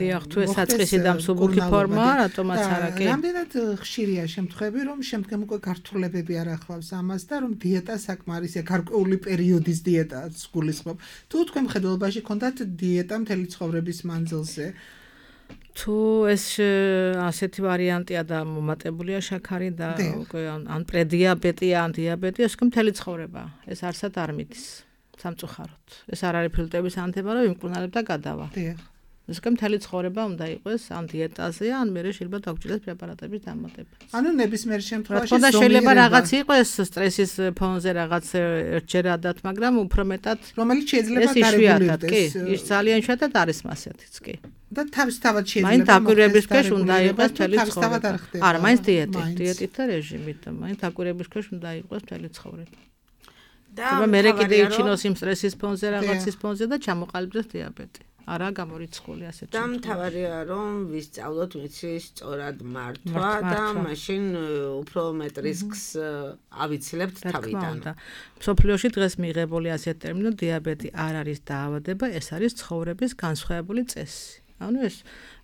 დიახ, თუ ეს საწყისი და მსუბუქი ფორმაა, რატომაც არა კი? რამდენად ხშირია შემთხვევები, რომ შემდგომ უკვე გართულებები არ ახლავს ამას და რომ დიეტა საკმარისია, გარკვეული პერიოდის დიეტაც გულისხმობ. თუ თქვენ მხედველობაში ქონდათ დიეტა მთელი ცხოვრების მანძილზე, თუ ეს ასეთი ვარიანტია და მომატებულია შაქარი და უკვე ან პრედიაბეტია, ან დიაბეტია, ეს მთელი ცხოვრება. ეს არსად არ მიდის სამწუხაროდ. ეს არ არის ფილტვების ანთება, რომ იმკურნალებ და გადავა. დიახ. ეს კემთელი ცხოვრება უნდა იყოს ან დიეტაზე, ან მე შეიძლება დაგჭირდეს პრეპარატების დამატება. ანუ ნებისმიერ შემთხვევაში ზომიერება. შეიძლება რაღაც იყოს სტრესის ფონზე რაღაც ერთჯერადად, მაგრამ უფრო მეტად რომელიც შეიძლება დარეგულირდეს. კი, ის ძალიან შეერთად არის მასეთიც კი. და თავისთავად შეიძლება. მაინც დაკვირვების ქვეშ უნდა იყოს მთელი ცხოვრება. არა, მაინც დიეტით და რეჟიმით, მაინც დაკვირვების ქვეშ უნდა იყოს მთელი ცხოვრება. და მე კიდე იჩინოს იმ სტრესის ფონზე, რაღაცის ფონზე და ჩამოყალიბდეს დიაბეტი. არა გამორიცხული ასეთ. და მთავარია რომ ვისწავლოთ მიცის სწორად მართვა და მაშინ უფრო მეტ რისკს ავიცილებთ თავიდან. მსოფლიოში დღეს მიღებული ასეთ ტერმინო დიაბეტი არ არის დაავადება, ეს არის ცხოვრების განსხვავებული წესი. ანუ ეს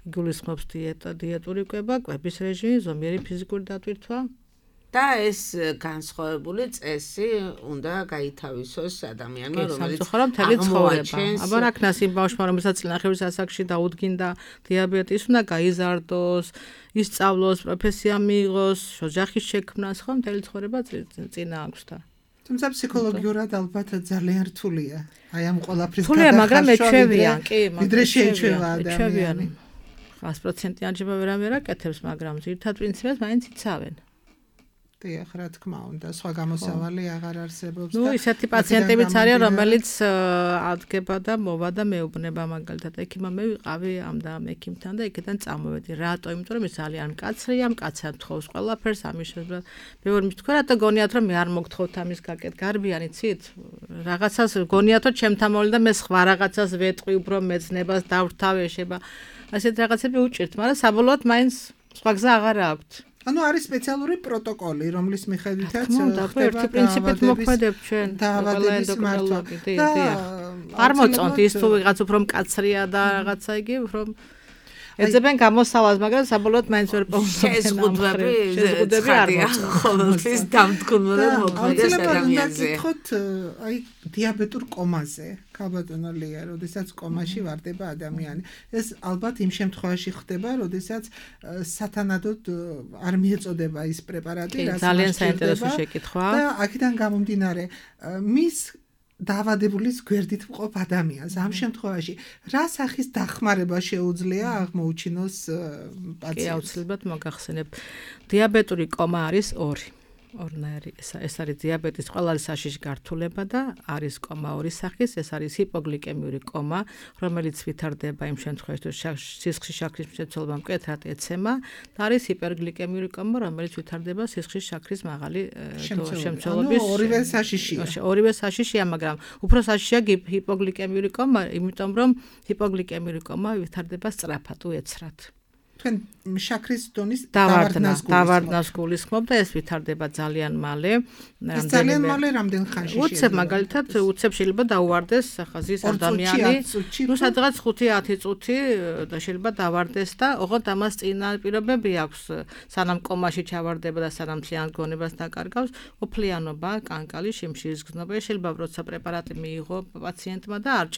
გულისხმობს დიეტური კვება, კვების რეჟიმი, ზომიერი ფიზიკური დატვირთვა. და ეს განსხვავებული წესი უნდა გაითავისოს ადამიანმა, რომელიც მთელი ცხოვრება. აბა რა ქნას იმ ბავშვმა, რომელსაც წინახევრის ასაკში დაუდგინდა დიაბეტი, ის უნდა გაიზარდოს, ისწავლოს, პროფესია მიიღოს, ოჯახის შექმნას, ხო, მთელი ცხოვრება წინა აქვს და. თუმცა ფსიქოლოგიურად ალბათ ძალიან რთულია. აი ამ ყველაფრის გადახარშვა, მაგრამ ეჩვევიან, კი, ვიდრე შეეჩვევა ადამიანი. 100%-იან ჯება ვერა კეთებს, მაგრამ ძირითად პრინციპებს მაინც იცავენ. დიახ, რა თქმა უნდა, სხვა გამოსავალი აღარ არსებობს და ისეთი პაციენტებიც არიან, რომელიც ადგება და მოვა და მეუბნება მაგალითად, ექიმა მე ვიყავი ამ და ამ ექიმთან და იქიდან წამოვედი. რატო? იმიტომ რომ ის ძალიან მკაცრია, მკაცრად თხოვს ყველაფერს, ამის შესაძლოა. მე ვერ მithქვი, რატო გონიათ რომ მე არ მოგთხოვთ ამის გაკეთ გარბიანი ცით? რაღაცას გონიათ რომ ჩემთან მოვიდა და მე სხვა რაღაცას ვეტყვი, უფრო მეცნებას დავრთავ ეშება. ასეთ რაღაცები უჭირთ, მაგრამ საბოლოოდ მაინც სხვა გზა აღარ აქვს. ანუ არის სპეციალური პროტოკოლი, რომლის მიხედვითაც ხდება ერთი პრინციპით მოქმედებ ჩვენ დაავადების მართვა. არ მოწონთ ის თუ ვიღაც უფრო მკაცრია და რაღაცა იგი უფრო ეძებენ გამოსავალს, მაგრამ საბოლოოდ მაინც ვერ პოვდება. შეზღუდები არ ყოველთვის დამთქმული მოქმედეს ადამიანზე. გითხოთ, აი დიაბეტურ კომაზე, ქალბატონო ლია, როდესაც კომაში ვარდება ადამიანი. ეს ალბათ იმ შემთხვევაში ხდება, როდესაც სათანადოდ არ მიეწოდება ის პრეპარატი, რაც ძალიან საინტერესო შეკითხვა. და აქედან გამომდინარე, მის დაავადებულის გვერდით მყოფ ადამიანს ამ შემთხვევაში რა სახის დახმარება შეუძლია აღმოუჩინოს პაციენტს? კი, აუცილებლად მოგახსენებ. დიაბეტური კომა არის ორი. ორნაირი ეს არის დიაბეტის ყველაზე საშიში გართულება და არის კომა ორი სახის, ეს არის ჰიპოგლიკემიური კომა, რომელიც ვითარდება იმ შემთხვევაში, თუ სისხლის შაქრის მცირეწლობა მკვეთრად ეცემა და არის ჰიპერგლიკემიური კომა, რომელიც ვითარდება სისხლის შაქრის მაღალი შემცველობის. ორივე საშიშია. ორივე საშიშია, მაგრამ უფრო საშიშია ჰიპოგლიკემიური კომა, იმიტომ რომ ჰიპოგლიკემიური კომა ვითარდება სწრაფად, უეცრად. თქვენ შაქრის დონის დავარდნას გულისხმობ და ეს ვითარდება ძალიან მალე. ეს ძალიან მალე რამდენ ხანში შეიძლება? უცებ მაგალითად, უცებ შეიძლება დაუვარდეს ხაზის ადამიანი. ნუ სადღაც 5-10 წუთი და შეიძლება დავარდეს და ოღონდ ამას წინა პირობები აქვს, სანამ კომაში ჩავარდება და სანამ მთლიან გონებას დაკარგავს, ოფლიანობა, კანკალი, შიმშილის გზნობა, შეიძლება როცა პრეპარატი მიიღო პაციენტმა და არ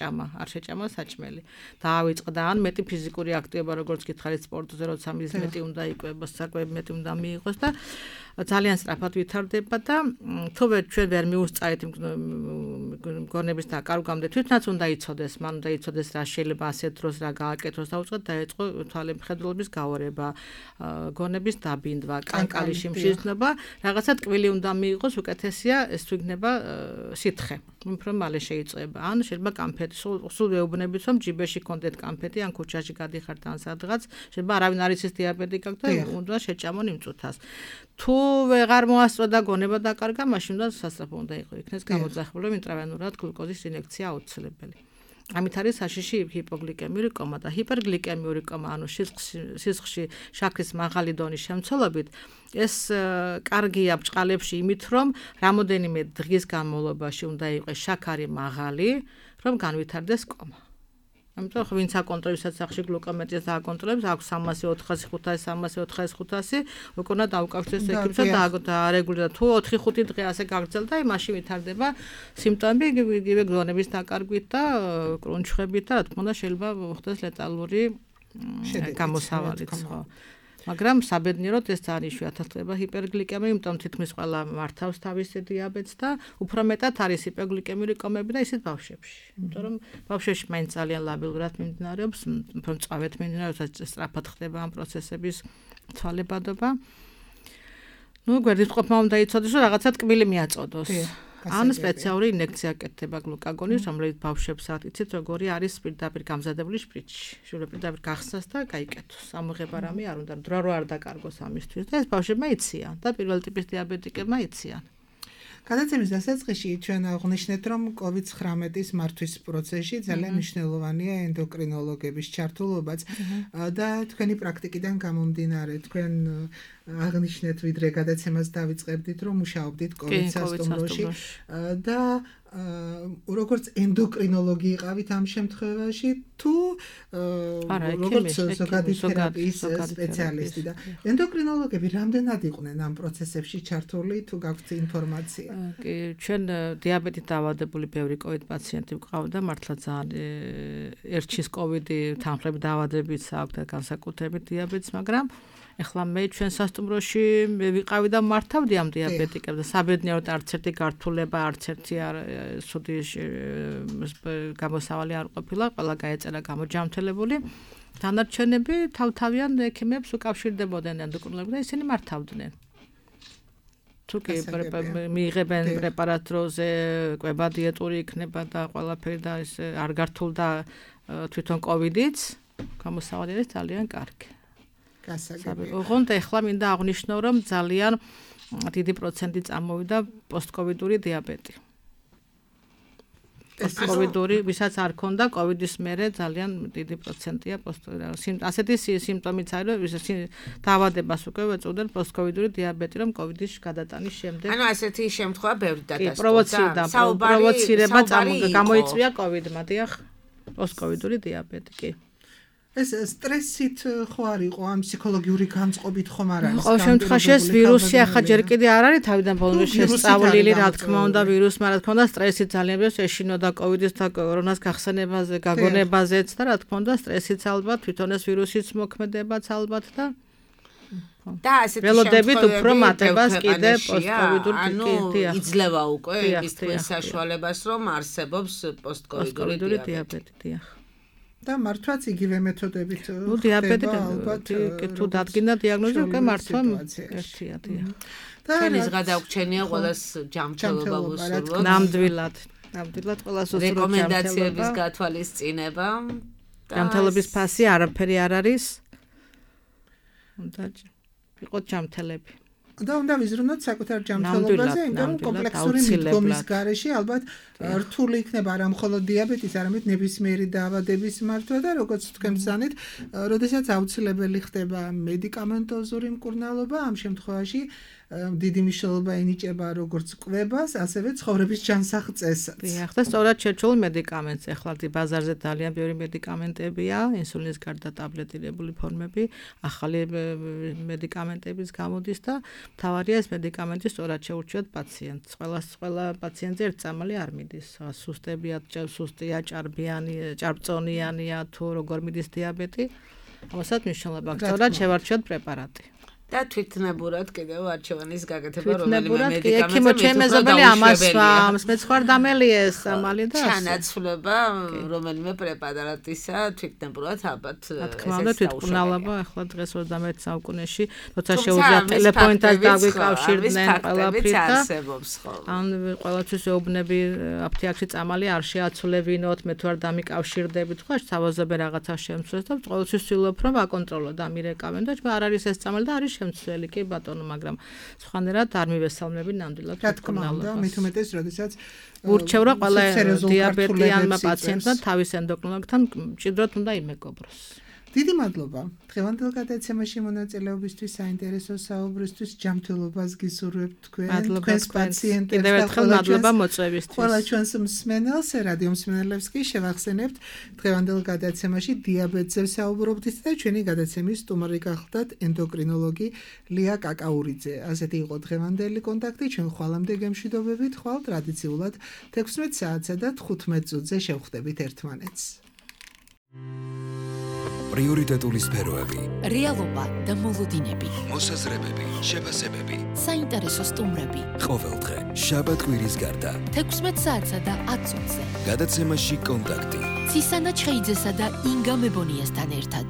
შეჭამა საჭმელი. დაავიწყდა ან მეტი ფიზიკური აქტივობა, როგორც გითხარით სპორტზე, როცა მის მეტი უნდა იკვებოს, საკვები მეტი უნდა მიიღოს და ძალიან სწრაფად ვითარდება და თუმცა ჩვენ ვერ მიუსწარით გონების დაკარგვამდე თვითონაც უნდა იცოდეს, მან უნდა იცოდეს რა შეიძლება ასეთ დროს რა გააკეთოს და უწყოთ დაეწყო თვალემხედველობის გავარება, გონების დაბინდვა, კანკალის შიმშილისნობა, რაღაცა ტკბილი უნდა მიიღოს, უკეთესია ეს თუ იქნება სითხე. უფრო მალე შეიწება. ან შეიძლება კამფეტი, სულ ვეუბნებით რომ ჯიბეში კონდეთ კამფეტი, ან ქუჩაში გადიხართ ან სადღაც, შეიძლება არავინ არ იცის დიაბეტი გაქვთ და უნდა შეჭამონ იმ წუთას. თუ ვეღარ მოასწრო და გონება დაკარგა, მაშინ უნდა სასწრაფო უნდა იქნეს გამოძახილი, რომ ინტრავენურად გლუკოზის ინექცია აუცილებელი. ამით არის საშიში ჰიპოგლიკემიური კომა და ჰიპერგლიკემიური კომა, ანუ სისხლში შაქრის მაღალი დონის შემცველობით, ეს კარგია ბჭყალებში იმით, რომ რამოდენიმე დღის განმავლობაში უნდა იყოს შაქარი მაღალი, რომ განვითარდეს კომა. ამიტომ ვინც აკონტროლებს სახში გლუკომეტრიას აკონტროლებს, აქვს 300-400-500, უკვე უნდა დაუკავშირდეს ექიმსა და არეგულირდა. თუ 4-5 დღე ასე გაგრძელდა, მაშინ ვითარდება სიმპტომები იგივე გონების დაკარგვით და კრუნჩხებით და რა თქმა უნდა შეიძლება მოხდეს ლეტალური გამოსავალიც, ხო. მაგრამ საბედნიეროდ ეს ძალიან იშვიათად ხდება ჰიპერგლიკემია, იმიტომ თითქმის ყველა მართავს თავის დიაბეტს და უფრო მეტად არის ჰიპერგლიკემიური კომები და ისეთ ბავშვებში. იმიტომ რომ ბავშვებში მაინც ძალიან ლაბილურად მიმდინარეობს, უფრო მწვავედ მიმდინარეობს, სწრაფად ხდება ამ პროცესების თვალებადობა. ნუ გვერდით ყოფნა უნდა იცოდეს, რომ რაღაცა ტკბილი მიაწოდოს. ან სპეციალური ინექცია აკეთდება გლუკაგონის, რომელიც ბავშვებს იცით როგორი არის პირდაპირ გამზადებული შპრიცი. შეიძლება პირდაპირ გახსნას და გაიკეთოს. ამოღება რამე არ უნდა, დრო არ დაკარგოს ამისთვის და ეს ბავშვებმა იციან და პირველ ტიპის დიაბეტიკებმა იციან. გადაცემის დასაწყისში ჩვენ აღნიშნეთ, რომ COVID-19-ის მართვის პროცესში ძალიან მნიშვნელოვანია ენდოკრინოლოგების ჩართულობაც და თქვენი პრაქტიკიდან გამომდინარე, თქვენ აღნიშნეთ, ვიდრე გადაცემას დავიწყებდით, რომ მუშაობდით COVID სასტუმროში და როგორც ენდოკრინოლოგი იყავით ამ შემთხვევაში, თუ როგორც ზოგადი თერაპიის სპეციალისტი და ენდოკრინოლოგები რამდენად იყვნენ ამ პროცესებში ჩართული, თუ გაქვთ ინფორმაცია? კი, ჩვენ დიაბეტით დაავადებული ბევრი COVID პაციენტი გვყავდა, მართლა ძალიან ერჩის COVID-ი თანხლები დაავადებიც აქვს და განსაკუთრებით დიაბეტს, მაგრამ ეხლა მე ჩვენ სასტუმროში ვიყავი და მართავდი ამ დიაბეტიკებს და საბედნიეროდ არც ერთი გართულება, არც ერთი სუდი გამოსავალი არ ყოფილა, ყველა გაეწერა გამოჯამთელებული. დანარჩენები თავთავიან ექიმებს უკავშირდებოდნენ ენდოკრინოლოგებს და ისინი მართავდნენ. თუ კი მიიღებენ პრეპარატ დროზე, კვება დიეტური იქნება და ყველაფერი და ეს არ გართულდა თვითონ კოვიდიც, გამოსავალი არის ძალიან კარგი. გასაგებია. ოღონდ ეხლა მინდა აღნიშნო, რომ ძალიან დიდი პროცენტი წამოვიდა პოსტკოვიდური დიაბეტი. პოსტკოვიდური, ვისაც არ ქონდა კოვიდის მერე ძალიან დიდი პროცენტია ასეთი სიმპტომიც არის, რომ დაავადებას უკვე ეწოდნენ პოსტკოვიდური დიაბეტი, რომ კოვიდის გადატანის შემდეგ. ანუ ასეთი შემთხვევა ბევრი დადასტურდა. პროვოცირება გამოიწვია კოვიდმა, დიახ, პოსტკოვიდური დიაბეტი, კი. ეს სტრესით ხო არ იყო ამ ფსიქოლოგიური განწყობით ხომ არ არის? ყოველ შემთხვევაში ეს ვირუსი ახლა ჯერ კიდე არ არის თავიდან ბოლომდე შესწავლილი, რა თქმა უნდა, ვირუსმა რა თქმა უნდა სტრესი ძალიან ბევრს ეშინოდა კოვიდის და კორონას გახსენებაზე, გაგონებაზეც და რა თქმა უნდა სტრესიც ალბათ, თვითონ ეს ვირუსიც მოქმედებაც ალბათ და ასეთი ველოდებით უფრო მატებას კიდე პოსტკოვიდურ ანუ იძლევა უკვე ის თქვენ საშუალებას, რომ არსებობს პოსტკოვიდური დიაბეტი, დიახ. და მართვაც იგივე მეთოდებით დიაბეტი თუ დადგინდა დიაგნოზი უკვე მართვა ერთია დიახ. ჩვენის გადაგვჩენია ყველას ჯანმრთელობა ვუსურვოთ. ნამდვილად ყველას უსურვოთ რეკომენდაციების გათვალისწინება. ჯანმრთელობის ფასი არაფერი არ არის. უნდა იყოთ ჯანმრთელები. და უნდა ვიზრუნოთ საკუთარ ჯანმრთელობაზე, იმიტომ რომ კომპლექსური მიდგომის გარეშე ალბათ რთული იქნება არა მხოლოდ დიაბეტის, არამედ ნებისმიერი დაავადების მართვა და როგორც თქვენ ბრძანეთ, როდესაც აუცილებელი ხდება მედიკამენტოზური მკურნალობა, ამ შემთხვევაში დიდი მნიშვნელობა ენიჭება როგორც კვებას, ასევე ცხოვრების ჯანსაღწესაც. დიახ, და სწორად შერჩულ მედიკამენტს. ეხლა ბაზარზე ძალიან ბევრი მედიკამენტებია, ინსულინის გარდა ტაბლეტირებული ფორმები, ახალი მედიკამენტებიც გამოდის და მთავარია ეს მედიკამენტი სწორად შეურჩიოთ პაციენტს. ყველა პაციენტზე ერთ წამალი არ მიდის. სუსტია, ჭარბწონიანია თუ როგორ მიდის დიაბეტი. ამასაც მნიშვნელობა აქვს. სწორად შევარჩიოთ პრეპარატი. და თვითნებურად კიდევ არჩევანის გაკეთება რომელიმე მედიკამენტზე ჩემეზობელი ამას მეცხვარ დამელიეს ამალი და ჩანაცვლება რომელიმე პრეპარატისა თვითნებურად ალბათ თქმა უნდა თვითმკურნალობა ახლა დღეს 21 საუკუნეში როცა შეუძლია ტელეფონთან დაგვიკავშირდნენ ყველაფრით და ან ყველაფრის ეუბნები აფთიაქში წამალი არ შეაცვლებინოთ მე თუ არ დამიკავშირდებით ხო თავაზობენ რაღაცა შემცვლეს და ყოველთვის ვცდილობ რომ აკონტროლო და მირეკავენ და არ არის ეს წამალი და არის შემცვლელი კი ბატონო, მაგრამ სხვანაირად არ მივესალმები ნამდვილად თვითმკურნალობას. მით უმეტეს, როდესაც ურჩევ რა ყველა დიაბეტიანმა პაციენტმა თავის ენდოკრინოლოგთან მჭიდროდ უნდა იმეგობროს. დიდი მადლობა. დღევანდელ გადაცემაში მონაწილეობისთვის, საინტერესო საუბრისთვის, ჯანმრთელობას გისურვებთ თქვენს პაციენტებს. კიდევ ერთხელ მადლობა მოწვევისთვის. ყველა ჩვენს მსმენელს, რადიო მსმენელებს კი შევახსენებთ, დღევანდელ გადაცემაში დიაბეტზე ვსაუბრობდით და ჩვენი გადაცემის სტუმარი გახლდათ ენდოკრინოლოგი ლია კაკაურიძე. ასეთი იყო დღევანდელი კონტაქტი, ჩვენ ხვალამდე გემშვიდობებით, ხვალ ტრადიციულად 16 საათსა და 15 წუთზე შევხვდებით ერთმანეთს. პრიორიტეტული სფეროები, რეალობა და მოლოდინები, მოსაზრებები, შეფასებები, საინტერესო სტუმრები. ყოველდღე, შაბათ-კვირის გარდა, 16 საათსა და 10 წუთზე. გადაცემაში კონტაქტი. ცისანა ჩხეიძესა და ინგა მებონიასთან ერთად.